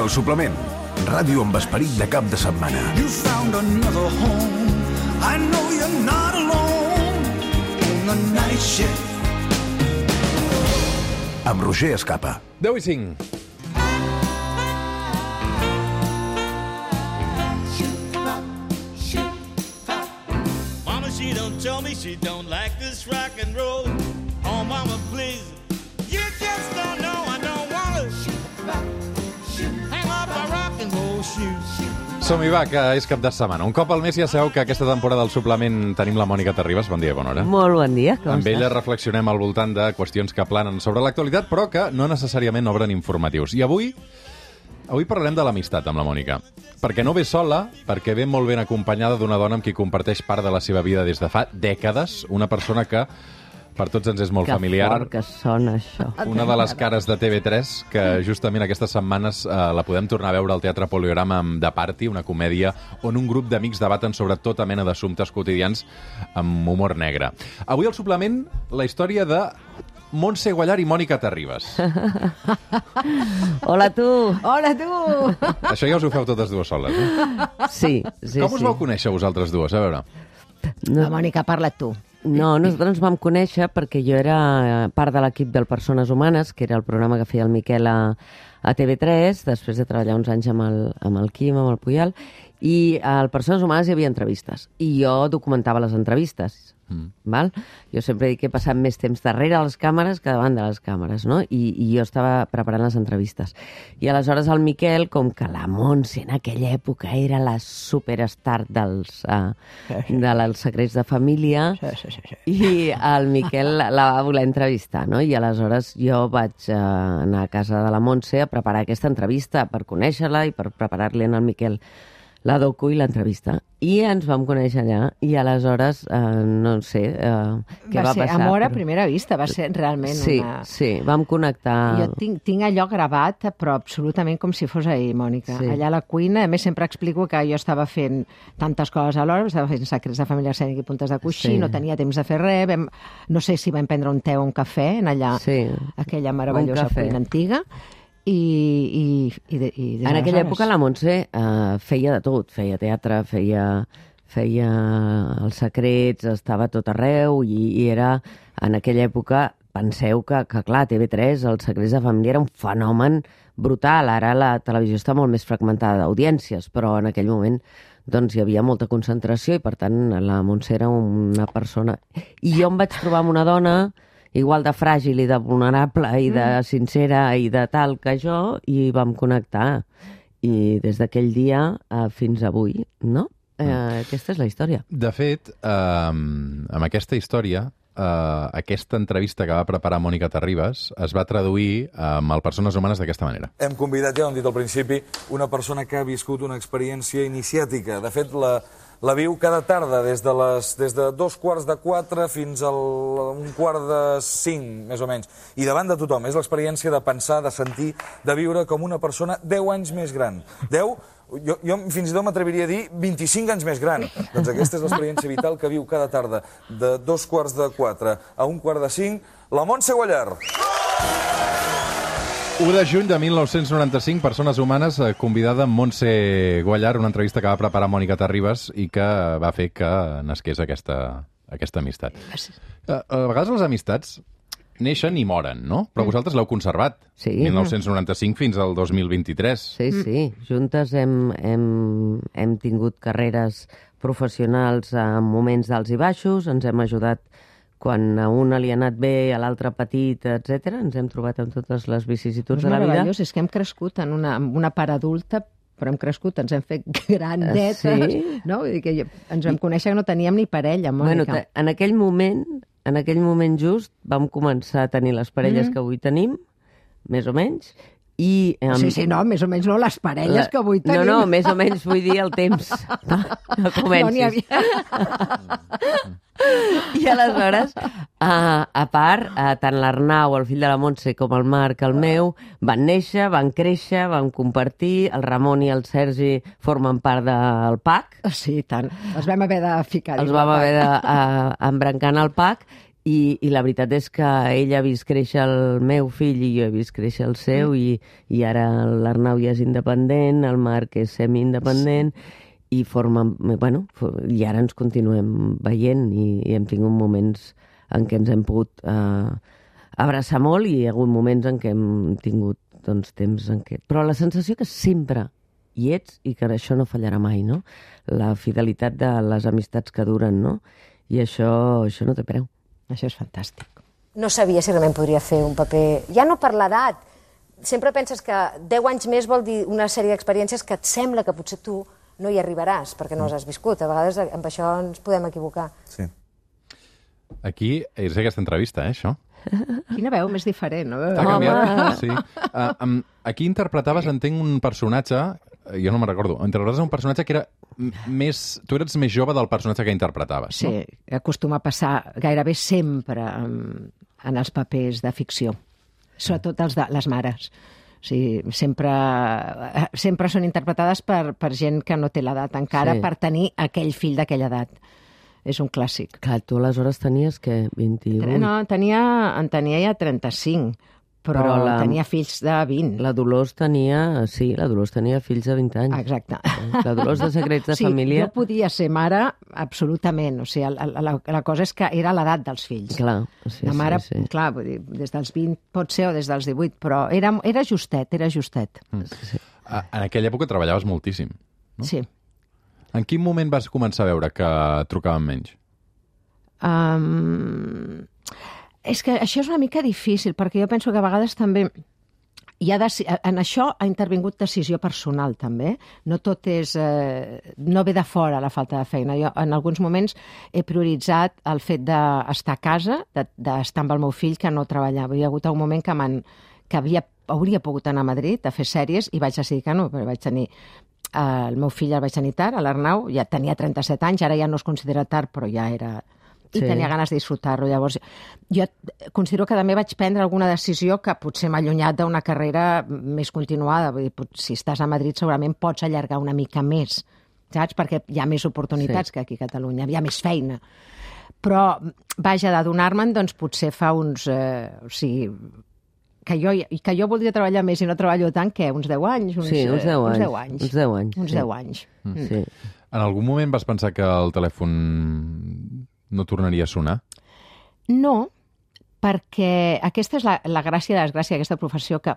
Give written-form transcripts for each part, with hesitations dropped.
El Suplement, ràdio amb esperit de cap de setmana. You found another home. I know you're not alone in the night shift. Amb Roger Escapa. 10:05. Mama, she don't tell me she don't like this rock and roll. Oh, mama, please. You just don't know I don't want to hang up my rock and roll shoes. Som-hi, va, que és cap de setmana. Un cop al mes ja sabeu que aquesta temporada del Suplement tenim la Mònica Terribas. Bon dia, bona hora. Molt bon dia, com Amb estàs? ella reflexionem al voltant de qüestions que planen sobre l'actualitat, però que no necessàriament obren informatius. I avui parlarem de l'amistat amb la Mònica. Perquè no ve sola, perquè ve molt ben acompanyada d'una dona amb qui comparteix part de la seva vida des de fa dècades, una persona que per tots ens és molt familiar. Que fort que sona, això. Una de les cares de TV3, que justament aquestes setmanes la podem tornar a veure al Teatre Poliorama amb The Party, una comèdia on un grup d'amics debaten sobre tota mena d'assumptes quotidians amb humor negre. Avui al Suplement, la història de Montse Guallar i Mònica Terribas. Hola, tu! Hola, tu! Això ja us ho feu totes dues soles, eh? Sí, sí, Com us vau conèixer vosaltres dues? A veure. La Mònica, parla't tu. No, nosaltres ens vam conèixer perquè jo era part de l'equip del Persones Humanes, que era el programa que feia el Miquel a TV3, després de treballar uns anys amb el Quim, amb el Puyal, i al Persones Humanes hi havia entrevistes, i jo documentava les entrevistes. Val? Jo sempre dic que he passat més temps darrere les càmeres que davant de les càmeres, no? I jo estava preparant les entrevistes. I aleshores el Miquel, com que la Montse en aquella època era la superstar dels secrets de família, i el Miquel la va voler entrevistar, no? I aleshores jo vaig anar a casa de la Montse a preparar aquesta entrevista per conèixer-la i per preparar-li al Miquel la docu i l'entrevista. I ens vam conèixer allà, i aleshores, no sé, què va passar. Va ser amor a primera vista, va ser realment una... Sí, vam connectar. Jo tinc allò gravat, però absolutament com si fos ahir, Mònica. Sí. Allà a la cuina, a més sempre explico que jo estava fent tantes coses alhora, estava fent secrets de família escènica i puntes de coixí, Sí. no tenia temps de fer res, no sé si vam prendre un te o un cafè en allà, Sí. aquella meravellosa Un cafè. cuina antiga, i En aquella època la Montse feia de tot, feia teatre, feia els secrets, estava a tot arreu, i era, en aquella època, penseu que clar, TV3, els secrets de família era un fenomen brutal. Ara la televisió està molt més fragmentada d'audiències, però en aquell moment doncs hi havia molta concentració i, per tant, la Montse era una persona... I jo em vaig trobar amb una dona igual de fràgil i de vulnerable i de sincera i de tal que jo, i vam connectar. I des d'aquell dia fins avui, no? Aquesta és la història. De fet, amb aquesta història, aquesta entrevista que va preparar Mònica Terribas es va traduir amb el Persones Humanes d'aquesta manera. Hem convidat, ja ho hem dit al principi, una persona que ha viscut una experiència iniciàtica. De fet, la viu cada tarda, des de 3:45 fins a 4:45, més o menys. I davant de tothom. És l'experiència de pensar, de sentir, de viure com una persona 10 anys més gran. 10? Jo fins i tot m'atreviria a dir 25 anys més gran. Doncs aquesta és l'experiència vital que viu cada tarda, de 3:45 a 4:45, la Montse Guallar. 1 de juny de 1995, Persones Humanes, convidada amb Montse Guallar, una entrevista que va preparar Mònica Terribas i que va fer que nasqués aquesta amistat. A vegades les amistats neixen i moren, no? Però vosaltres l'heu conservat. Sí. 1995 fins al 2023. Sí. Juntes hem tingut carreres professionals en moments d'alts i baixos, ens hem ajudat quan a una li ha anat bé, a l'altre petit, etc. Ens hem trobat amb totes les vicissituds de la vida. És que hem crescut en una part adulta, però hem crescut, ens hem fet grandetes, no? Vull dir que ens vam conèixer que no teníem ni parella, Mònica. Bueno, en aquell moment just vam començar a tenir les parelles que avui tenim, més o menys, i... Sí, no, més o menys no les parelles que avui tenim. No, més o menys vull dir el temps. No comencis. No n'hi havia... I aleshores, a part, tant l'Arnau, el fill de la Montse, com el Marc, el meu, van néixer, van créixer, van compartir, el Ramon i el Sergi formen part del PAC. Sí, tant. Els vam haver de ficar. Els vam haver d'embrancar en el PAC, I la veritat és que ell ha vist créixer el meu fill i jo he vist créixer el seu i ara l'Arnau ja és independent, el Marc és semi-independent i i ara ens continuem veient i hem tingut moments en què ens hem pogut abraçar molt i hi ha hagut moments en què hem tingut temps en què... Però la sensació que sempre hi ets i que això no fallarà mai, no? La fidelitat de les amistats que duren, no? I això no té preu. Això és fantàstic. No sabia si realment podria fer un paper... Ja no per l'edat. Sempre penses que 10 anys més vol dir una sèrie d'experiències que et sembla que potser tu no hi arribaràs, perquè no les has viscut. A vegades amb això ens podem equivocar. Sí. Aquí és aquesta entrevista, això. Quina veu més diferent, no? T'ha canviat? Sí. Aquí interpretaves, entenc, un personatge... Jo no me'n recordo. Interpretaves un personatge que era més... Tu eres més jove del personatge que interpretaves, no? Sí, acostuma a passar gairebé sempre en els papers de ficció, sobretot els de les mares. O sigui, sempre són interpretades per gent que no té l'edat encara, per tenir aquell fill d'aquella edat. És un clàssic. Clar, tu aleshores tenies, què, 28? No, en tenia ja 35, però tenia fills de 20. La Dolors tenia fills de 20 anys. Exacte. La Dolors de Secrets de Família... Jo podia ser mare absolutament. O sigui, la cosa és que era l'edat dels fills. Clar, la mare, clar, vull dir, des dels 20 pot ser o des dels 18, però era justet. Sí. En aquella època treballaves moltíssim, no? Sí. En quin moment vas començar a veure que trucaven menys? És que això és una mica difícil, perquè jo penso que a vegades també en això ha intervingut decisió personal, també. No tot és... no ve de fora la falta de feina. Jo en alguns moments he prioritzat el fet d'estar a casa, d'estar amb el meu fill, que no treballava. Hi ha hagut un moment que hauria pogut anar a Madrid a fer sèries i vaig decidir que no, perquè vaig tenir... El meu fill el vaig tenir tard, l'Arnau, ja tenia 37 anys, ara ja no es considera tard, però ja era... I tenia ganes de disfrutar-lo. Llavors, jo considero que també vaig prendre alguna decisió que potser m'ha allunyat d'una carrera més continuada. Vull dir, si estàs a Madrid segurament pots allargar una mica més, saps? Perquè hi ha més oportunitats que aquí a Catalunya, hi ha més feina. Però, vaja, d'adonar-me'n, doncs potser fa uns... que jo voldria treballar més i no treballo tant, que uns 10 anys? Uns 10 anys. Sí. En algun moment vas pensar que el telèfon no tornaria a sonar? No, perquè aquesta és la gràcia i la desgràcia d'aquesta professió, que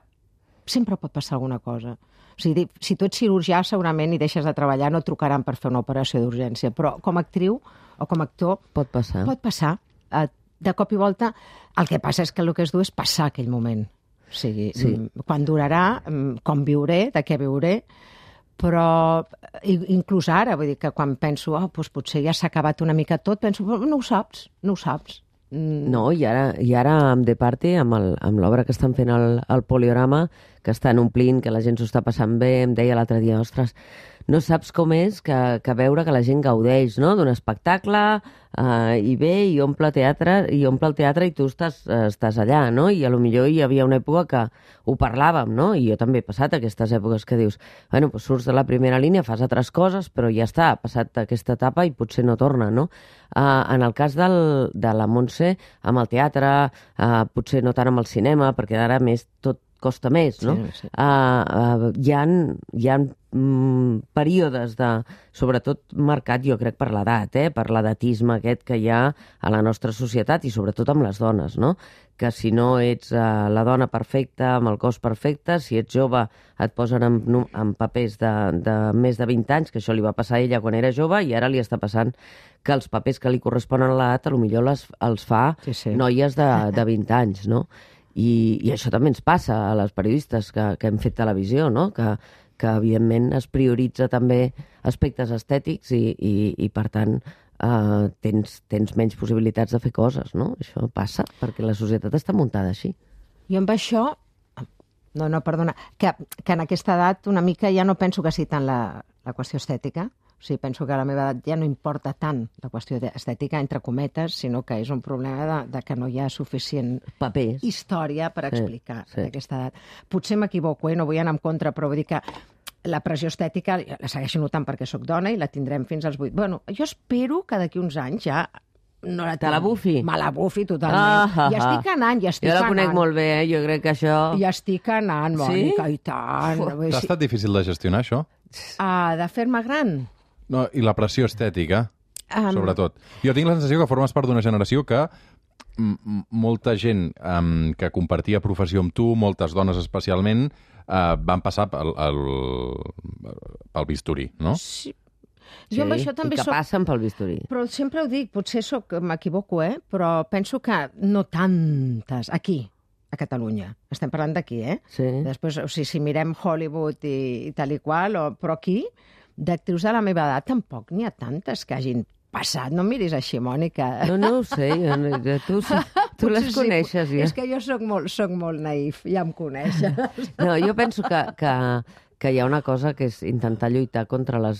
sempre pot passar alguna cosa. O sigui, si tu ets cirurgià, segurament, i deixes de treballar, no trucaran per fer una operació d'urgència, però com a actriu o com a actor... Pot passar. Pot passar. De cop i volta, el que passa és que el que es du és passar aquell moment. O sigui, quan durarà, com viuré, de què viuré, però inclús ara, vull dir que quan penso, doncs potser ja s'ha acabat una mica tot, penso, no ho saps. No, i ara amb The Party, amb l'obra que estan fent al Poliorama, que estan omplint, que la gent s'ho està passant bé, em deia l'altre dia, ostres, no saps com és que veure que la gent gaudeix, no?, d'un espectacle i ve i omple el teatre i tu estàs allà, no? I potser hi havia una època que ho parlàvem, no? I jo també he passat aquestes èpoques que dius, bueno, doncs surts de la primera línia, fas altres coses, però ja està, ha passat aquesta etapa i potser no torna, no? En el cas de la Montse, amb el teatre, potser no tant amb el cinema, perquè ara més tot costa més, no? Sí. Hi ha períodes sobretot marcat, jo crec, per l'edat, per l'edatisme aquest que hi ha a la nostra societat i sobretot amb les dones, no? Que si no ets la dona perfecta, amb el cos perfecte, si ets jove et posen en papers de més de 20 anys, que això li va passar a ella quan era jove i ara li està passant que els papers que li corresponen a l'edat potser els fa noies de 20 anys, no? I això també ens passa a les periodistes que hem fet televisió, no? Que evidentment es prioritza també aspectes estètics i per tant tens menys possibilitats de fer coses, no? Això passa perquè la societat està muntada així. Jo amb això, perdona, que en aquesta edat una mica ja no penso que sigui tant la qüestió estètica. O sigui, penso que a la meva edat ja no importa tant la qüestió estètica, entre cometes, sinó que és un problema de que no hi ha suficient papers, història per explicar aquesta edat. Potser m'equivoco, no vull anar en contra, però vull dir que la pressió estètica la segueixo notant perquè sóc dona i la tindrem fins als 8. Bueno, jo espero que d'aquí uns anys ja no la Te la bufi? Me la bufi totalment. I estic anant, Jo la conec molt bé, jo crec que això... I estic anant, Mònica, i tant. T'ha estat difícil de gestionar, això? De fer-me gran? No, i la pressió estètica, sobretot. Jo tinc la sensació que formes part d'una generació que molta gent que compartia professió amb tu, moltes dones especialment, van passar pel bisturí, no? Sí. Jo amb això també i que passen pel bisturí. Però sempre ho dic, potser m'equivoco, però penso que no tantes, aquí, a Catalunya. Estem parlant d'aquí, Sí. Després, o sigui, si mirem Hollywood i tal i qual, però aquí, d'actrius de la meva edat, tampoc n'hi ha tantes que hagin passat. No em miris així, Mònica. No ho sé, tu les coneixes. Ja. És que jo soc molt naïf, ja em coneixes. No, jo penso que hi ha una cosa que és intentar lluitar contra la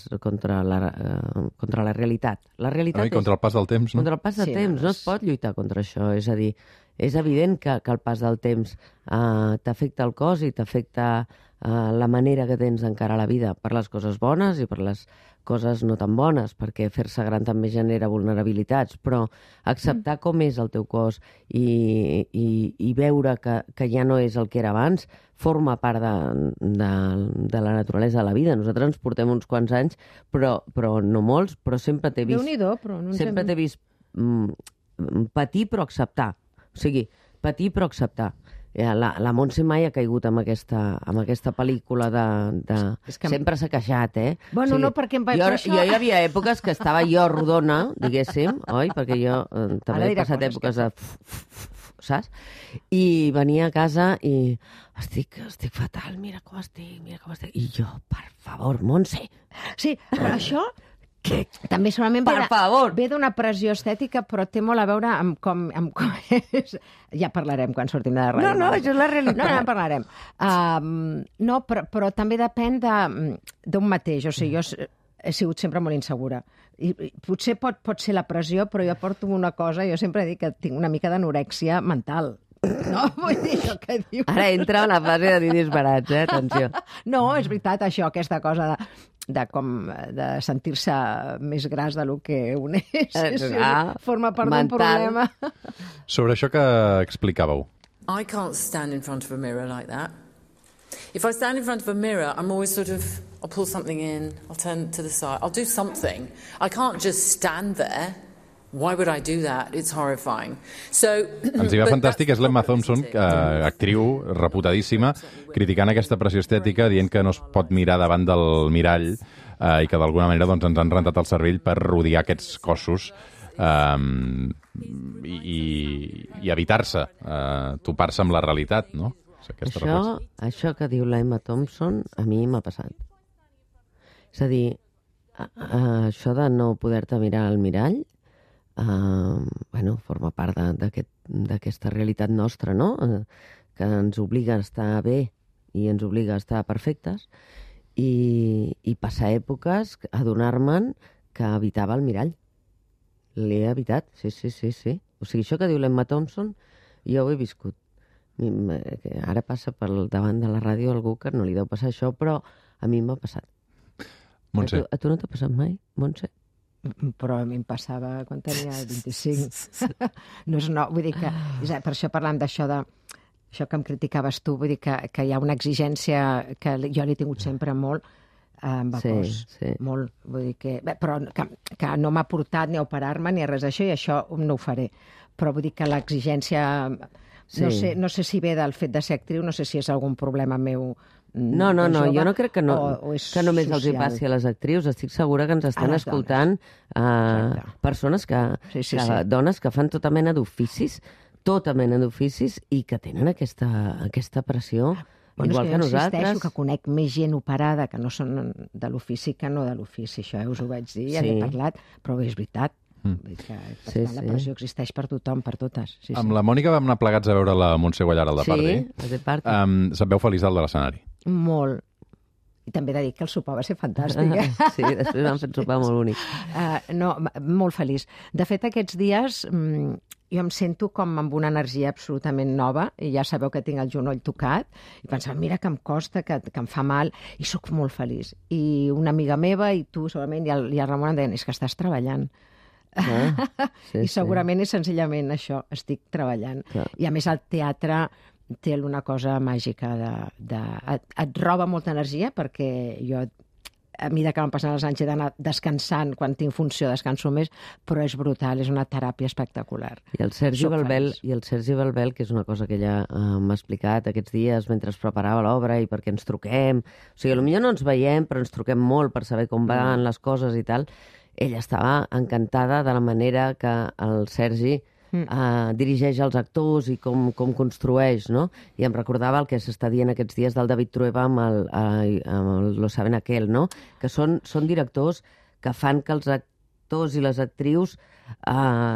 realitat. La realitat és... Contra el pas del temps, no? Contra el pas del temps. No es pot lluitar contra això. És a dir, és evident que el pas del temps t'afecta el cos i t'afecta la manera que tens d'encarar la vida, per les coses bones i per les coses no tan bones, perquè fer-se gran també genera vulnerabilitats, però acceptar com és el teu cos i veure que ja no és el que era abans forma part de la naturalesa de la vida. Nosaltres ens portem uns quants anys, però no molts, però sempre t'he vist... Déu-n'hi-do, però no sempre t'he vist patir però acceptar. O sigui, patir però acceptar. La Montse mai ha caigut amb aquesta pel·lícula de... Sempre s'ha queixat, Bueno, o sigui, no, perquè... Jo hi havia èpoques que estava jo rodona, diguéssim, oi? Perquè jo també he passat èpoques de... Saps? I venia a casa i estic fatal, mira com estic. I jo, per favor, Montse. Sí, però això... També segurament ve d'una pressió estètica, però té molt a veure amb com és. Ja parlarem quan sortim de la ràdio. No, això és la realitat. No, en parlarem. No, però també depèn d'un mateix. O sigui, jo he sigut sempre molt insegura. I potser pot ser la pressió, però jo porto una cosa, jo sempre dic que tinc una mica d'anorèxia mental. No, vull dir això que diu. Ara entra en la fase de dir disbarats, atenció. No, és veritat, això, aquesta cosa de sentir-se més gras del que un és. Forma part d'un problema. Sobre això que explicàveu. I can't stand in front of a mirror like that. If I stand in front of a mirror, I'm always I'll pull something in, I'll turn to the side, I'll do something. I can't just stand there. Why would I do that? It's horrifying. Ens hi va fantàstic, és l'Emma Thompson, actriu reputadíssima, criticant aquesta pressió estètica, dient que no es pot mirar davant del mirall i que d'alguna manera doncs, ens han rentat el cervell per rodear aquests cossos i evitar-se, topar-se amb la realitat, no? Això que diu l'Emma Thompson a mi m'ha passat. És a dir, això de no poder-te mirar al mirall forma part d'aquesta realitat nostra, no? Que ens obliga a estar bé i ens obliga a estar perfectes i passar èpoques a adonar-me'n que evitava el mirall. L'he evitat, sí. O sigui, això que diu l'Emma Thompson, jo ho he viscut. Ara passa per davant de la ràdio algú que no li deu passar això, però a mi m'ha passat. Montse. A tu no t'ha passat mai, Montse? Però a mi em passava quan tenia 25. Vull dir que... Per això parlant d'això això que em criticaves tu, vull dir que hi ha una exigència que jo l'he tingut sempre molt amb el cos. Molt. Vull dir que... Però que no m'ha portat ni a operar-me ni a res d'això, i això no ho faré. Però vull dir que l'exigència... No sé si ve del fet de ser actriu, no sé si és algun problema meu. No, jo no crec que només els hi passi a les actrius. Estic segura que ens estan escoltant persones dones que fan tota mena d'oficis i que tenen aquesta pressió, igual que nosaltres. Insisteixo que conec més gent operada que no són de l'ofici que no de l'ofici. Això us ho vaig dir, ja n'he parlat, però és veritat. La pressió existeix per tothom, per totes. Amb la Mònica vam anar plegats a veure la Montse Guallar al The Party. Se't veu feliç dalt de l'escenari? Molt. I també he de dir que el sopar va ser fantàstic. Sí, després vam fer un sopar molt bonic. Molt feliç. De fet, aquests dies jo em sento com amb una energia absolutament nova, i ja sabeu que tinc el genoll tocat, i pensava, mira que em costa, que em fa mal, i sóc molt feliç. I una amiga meva, i tu segurament, i el Ramon em deien, és que estàs treballant. I segurament és senzillament això, estic treballant. I a més el teatre té una cosa màgica et roba molta energia, perquè jo a mesura que van passant els anys he d'anar descansant, quan tinc funció descanso més, però és brutal, és una teràpia espectacular. I el Sergi Balbel, que és una cosa que ella m'ha explicat aquests dies mentre es preparava l'obra i perquè ens truquem, o sigui, potser no ens veiem, però ens truquem molt per saber com van les coses i tal, ella estava encantada de la manera que el Sergi dirigeix els actors i com construeix, no? I em recordava el que s'està dient aquests dies del David Trueba amb el Lo saben aquel, no? Que són directors que fan que els actors i les actrius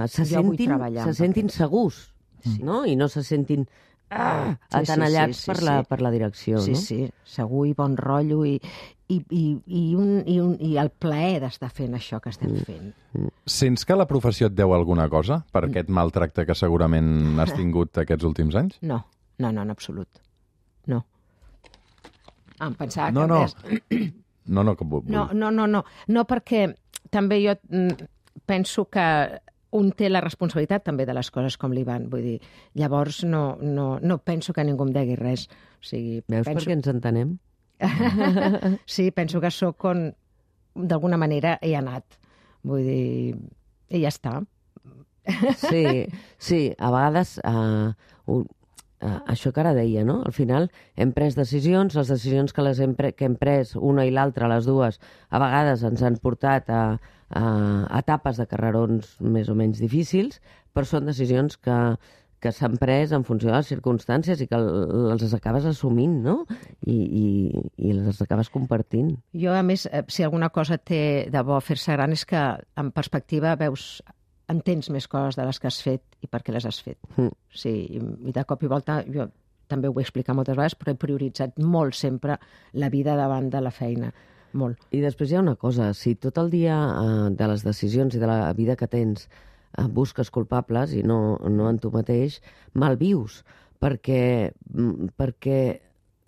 se sentin segurs, no? I no se sentin atenallats per la direcció, no? Sí, segur i bon rotllo i el plaer d'estar fent això que estem fent. Sents que la professió et deu alguna cosa per aquest maltracte que segurament has tingut aquests últims anys? No, en absolut. No. Em pensava que... No, perquè també jo penso que un té la responsabilitat també de les coses com li van. Vull dir, llavors no penso que ningú em degui res. O sigui, veus per què ens entenem? Sí, penso que sóc on d'alguna manera he anat. Vull dir, i ja està. Sí, a vegades això que ara deia, no? Al final hem pres decisions, les decisions que hem pres una i l'altra, les dues, a vegades ens han portat a etapes de carrerons més o menys difícils, però són decisions que s'han pres en funció de les circumstàncies i que les acabes assumint, no? I les acabes compartint. Jo, a més, si alguna cosa té de bo fer-se gran és que, en perspectiva, entens més coses de les que has fet i per què les has fet. Sí, i de cop i volta, jo també ho he explicat moltes vegades, però he prioritzat molt sempre la vida davant de la feina. Molt. I després hi ha una cosa, si tot el dia de les decisions i de la vida que tens busques culpables i no en tu mateix, malvius, perquè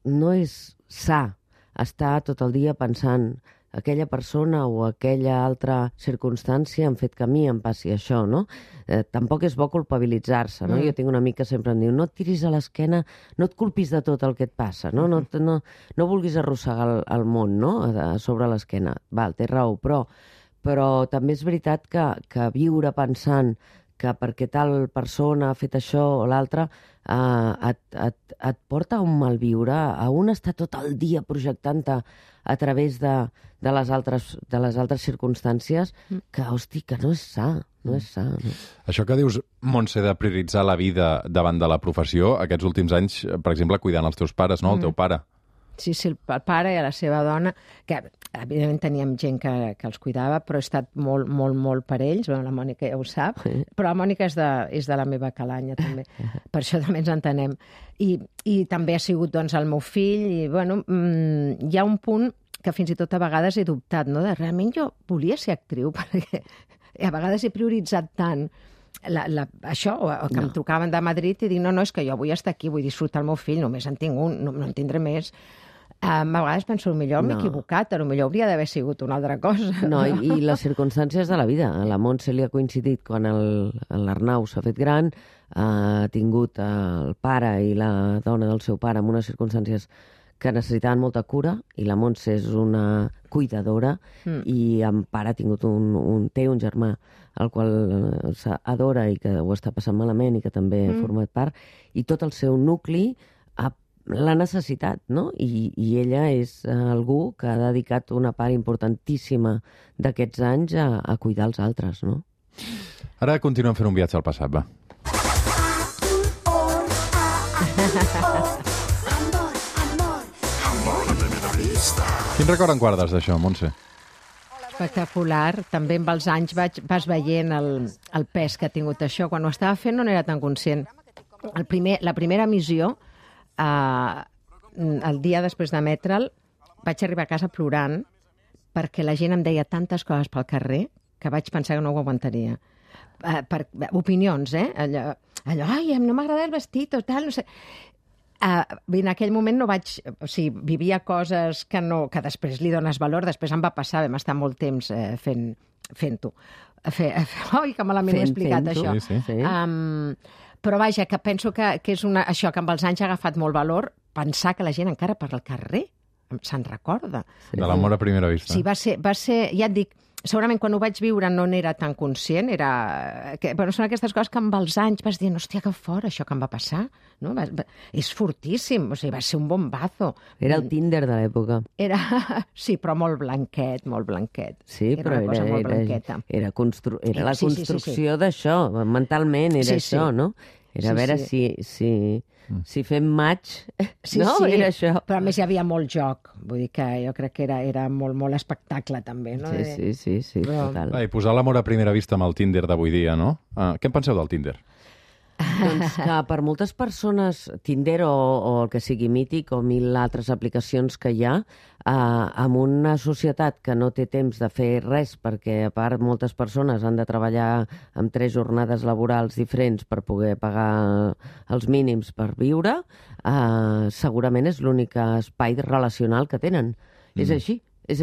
no és sa estar tot el dia pensant aquella persona o aquella altra circumstància han fet que a mi em passi això, no? Tampoc és bo culpabilitzar-se, no? Jo tinc un amic que sempre em diu no et tiris a l'esquena, no et culpis de tot el que et passa, no vulguis arrossegar el món, no? Sobre l'esquena. Val, té raó, però també és veritat que viure pensant que perquè tal persona ha fet això o l'altra et porta a un malviure, a un estar tot el dia projectant-te a través de les altres circumstàncies que, hosti, que no és sa. No és sa. No? Això que dius, Montse, de prioritzar la vida davant de la professió, aquests últims anys, per exemple, cuidant els teus pares, no? El teu pare. Sí, el pare i la seva dona, que evidentment teníem gent que els cuidava, però he estat molt, molt, molt per ells. Bueno, la Mònica ja ho sap, però la Mònica és de la meva calanya, també. Per això també ens entenem. I també ha sigut, doncs, el meu fill, i, bueno, hi ha un punt que fins i tot a vegades he dubtat, no? De realment jo volia ser actriu, perquè a vegades he prioritzat tant això, que em trucaven de Madrid i dic, no, és que jo vull estar aquí, vull disfrutar el meu fill, només en tinc un, no en tindré més. A vegades penso, potser m'he equivocat, potser hauria d'haver sigut una altra cosa. No, i les circumstàncies de la vida. A la Montse li ha coincidit quan l'Arnau s'ha fet gran, ha tingut el pare i la dona del seu pare en unes circumstàncies que necessitaven molta cura, i la Montse és una cuidadora, i en pare ha tingut té un germà al qual s'adora i que ho està passant malament i que també ha format part, i tot el seu nucli l'ha necessitat, no? I ella és algú que ha dedicat una part importantíssima d'aquests anys a cuidar els altres, no? Ara continuem fent un viatge al passat, va. Quin record en guardes d'això, Montse? Espectacular. També amb els anys vas veient el pes que ha tingut això. Quan ho estava fent no n'era tan conscient. La primera emissió, el dia després d'emetre'l, vaig arribar a casa plorant perquè la gent em deia tantes coses pel carrer que vaig pensar que no ho aguantaria. Opinions, Allò, ai, no m'agrada el vestit o tal, no sé. En aquell moment no vaig... O sigui, vivia coses que després li dones valor, després em va passar, vam estar molt temps fent-ho. Oi, que malament ho he explicat, això. Sí. Però vaja, que penso que és això, que amb els anys ha agafat molt valor, pensar que la gent encara per al carrer se'n recorda. De l'amor a primera vista. Sí, va ser, ja et dic, segurament quan ho vaig viure no n'era tan conscient, són aquestes coses que amb els anys vas dir, hòstia, que fort, això que em va passar, no? És fortíssim, o sigui, va ser un bombazo. Era el Tinder de l'època. Sí, però molt blanquet. Sí, però una cosa molt blanqueta. Era la construcció d'això, mentalment era això, no? Era a veure si fem match, no? Era això. Però a més hi havia molt joc, vull dir que jo crec que era molt, molt espectacle també, no? Sí, total. I posar l'amor a primera vista amb el Tinder d'avui dia, no? Què en penseu del Tinder? Doncs que per moltes persones, Tinder o el que sigui mític o 1000 altres aplicacions que hi ha, en una societat que no té temps de fer res, perquè a part moltes persones han de treballar amb 3 jornades laborals diferents per poder pagar els mínims per viure, segurament és l'únic espai relacional que tenen. És així. És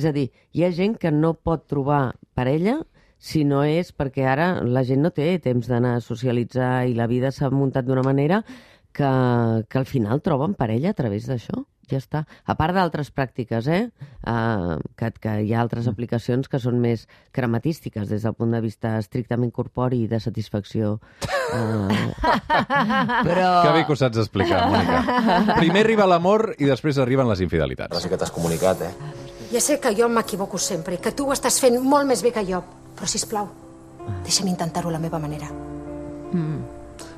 a dir, hi ha gent que no pot trobar parella si no és perquè ara la gent no té temps d'anar a socialitzar i la vida s'ha muntat d'una manera que al final troben parella a través d'això. Ja està. A part d'altres pràctiques, que hi ha altres aplicacions que són més crematístiques des del punt de vista estrictament corpori i de satisfacció. Però... Que bé que ho saps explicar, Mònica. Primer arriba l'amor i després arriben les infidelitats. Ara sí que t'has comunicat, Ja sé que jo m'equivoco sempre i que tu ho estàs fent molt més bé que jo, però sisplau, deixa'm intentar-ho a la meva manera.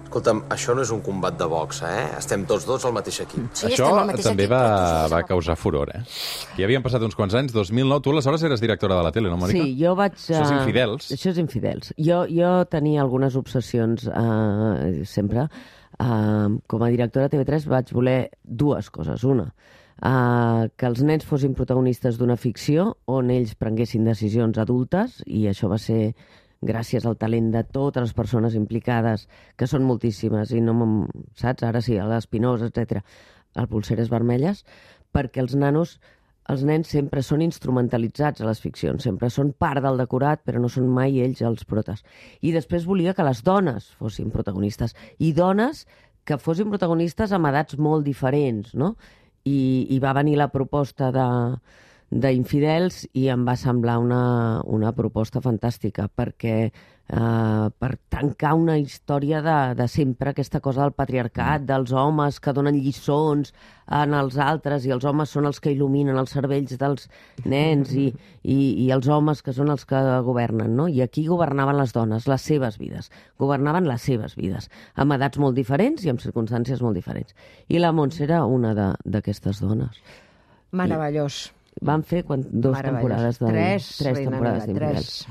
Escolta'm, això no és un combat de boxa, Estem tots dos al mateix equip. Sí, això estem al mateix també equip, va causar furor, Ja havien passat uns quants anys, 2009. Tu aleshores eres directora de la tele, no, Mònica? Sí, jo vaig... Això és Infidels. Això és Infidels. Jo tenia algunes obsessions sempre. Com a directora de TV3 vaig voler 2 coses. Una, que els nens fossin protagonistes d'una ficció on ells prenguessin decisions adultes, i això va ser gràcies al talent de totes les persones implicades, que són moltíssimes, i no saps? Ara sí, a l'Espinosa, etc. El Polseres Vermelles, perquè els nens sempre són instrumentalitzats a les ficcions, sempre són part del decorat, però no són mai ells els protes. I després volia que les dones fossin protagonistes, i dones que fossin protagonistes amb edats molt diferents, no? I va venir la proposta d'Infidels i em va semblar una proposta fantàstica, perquè per tancar una història de sempre, aquesta cosa del patriarcat, dels homes que donen lliçons en els altres, i els homes són els que il·luminen els cervells dels nens, i els homes que són els que governen, no? I aquí governaven les dones, les seves vides. Governaven les seves vides, amb edats molt diferents i amb circumstàncies molt diferents. I la Montse era una d'aquestes dones. Meravellós. Van fer 2 temporades de... 3 temporades d'Infidels.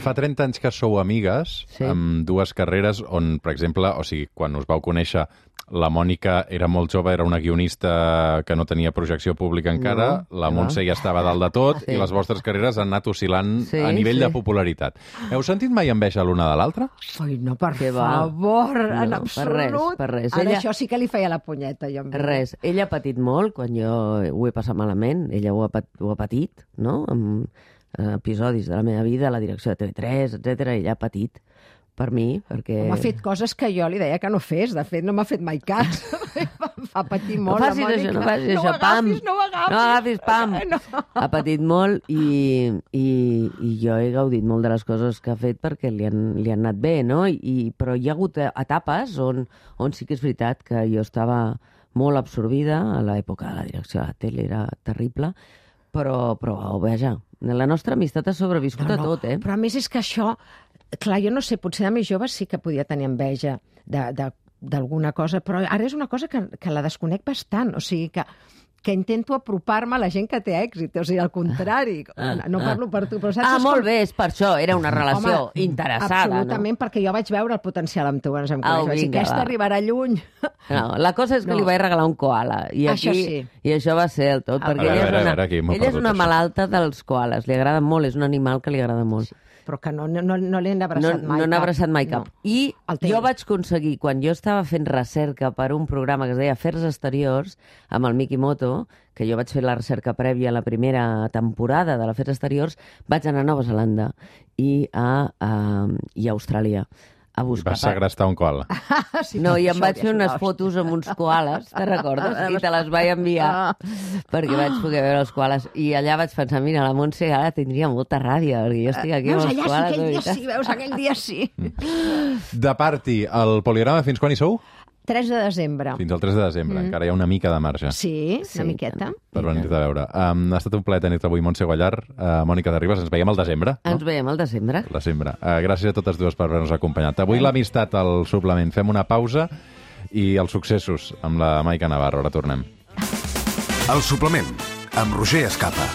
Fa 30 anys que sou amigues, amb 2 carreres on, per exemple, o sigui, quan us vau conèixer, la Mònica era molt jove, era una guionista que no tenia projecció pública encara, la Montse ja estava dalt de tot, i les vostres carreres han anat oscil·lant a nivell de popularitat. Heu sentit mai enveja l'una de l'altra? Ai, no, per favor, en absolut. Per res. Ara això sí que li feia la punyeta. Res. Ella ha patit molt quan jo ho he passat malament. Ella ho ha patit, no? Amb episodis de la meva vida, la direcció de TV3, etc. Ella ha patit per mi, perquè... M'ha fet coses que jo li deia que no fes. De fet, no m'ha fet mai cas. Fa patir molt, la Mònica. No facis això, pam! No ho agafis, pam! Ha patit molt i jo he gaudit molt de les coses que ha fet perquè li han anat bé, no? Però hi ha hagut etapes on sí que és veritat que jo estava molt absorbida. A l'època de la direcció de la tele era terrible, però vaja, la nostra amistat ha sobreviscut a tot, Però a més és que això... Clar, jo no sé, potser de més jove sí que podia tenir enveja d'alguna cosa, però ara és una cosa que la desconec bastant, o sigui que intento apropar-me a la gent que té èxit, o sigui, al contrari, no parlo per tu, però saps... molt bé, és per això, era una relació interessada, absolutament, no? Perquè jo vaig veure el potencial amb tu, ens em coneix, vaig dir, aquesta arribarà lluny. No, la cosa és que li vaig regalar un koala, i això va ser el tot, perquè ella és una malalta dels koalas, li agrada molt, és un animal que li agrada molt. però que no l'he abraçat mai. No n'ha abraçat mai cap. No. I El teu. jo vaig aconseguir, quan jo estava fent recerca per un programa que es deia Afers Exteriors, amb el Mikimoto, que jo vaig fer la recerca prèvia a la primera temporada de l'Afers Exteriors, vaig anar a Nova Zelanda i a Austràlia a buscar. Vas segrestar un koala. No, i em vaig fer unes fotos amb uns koales, te recordes? I te les vaig enviar perquè vaig poder veure els koales. I allà vaig pensar, mira, la Montse ara tindria molta ràbia, perquè jo estic aquí amb els koales. Aquell dia sí. De party, el poligrama fins quan hi sou? 3 de desembre. Fins al 3 de desembre. Encara hi ha una mica de marge. Sí, una miqueta. Per venir-te a veure. Ha estat un plaer tenir-te avui, Montse Guallar. Mònica de Ribas, ens veiem al desembre. No? Ens veiem al desembre. Gràcies a totes dues per haver-nos acompanyat. Avui l'amistat al suplement. Fem una pausa i els successos amb la Maica Navarro. Ara tornem. El suplement, amb Roger Escapa.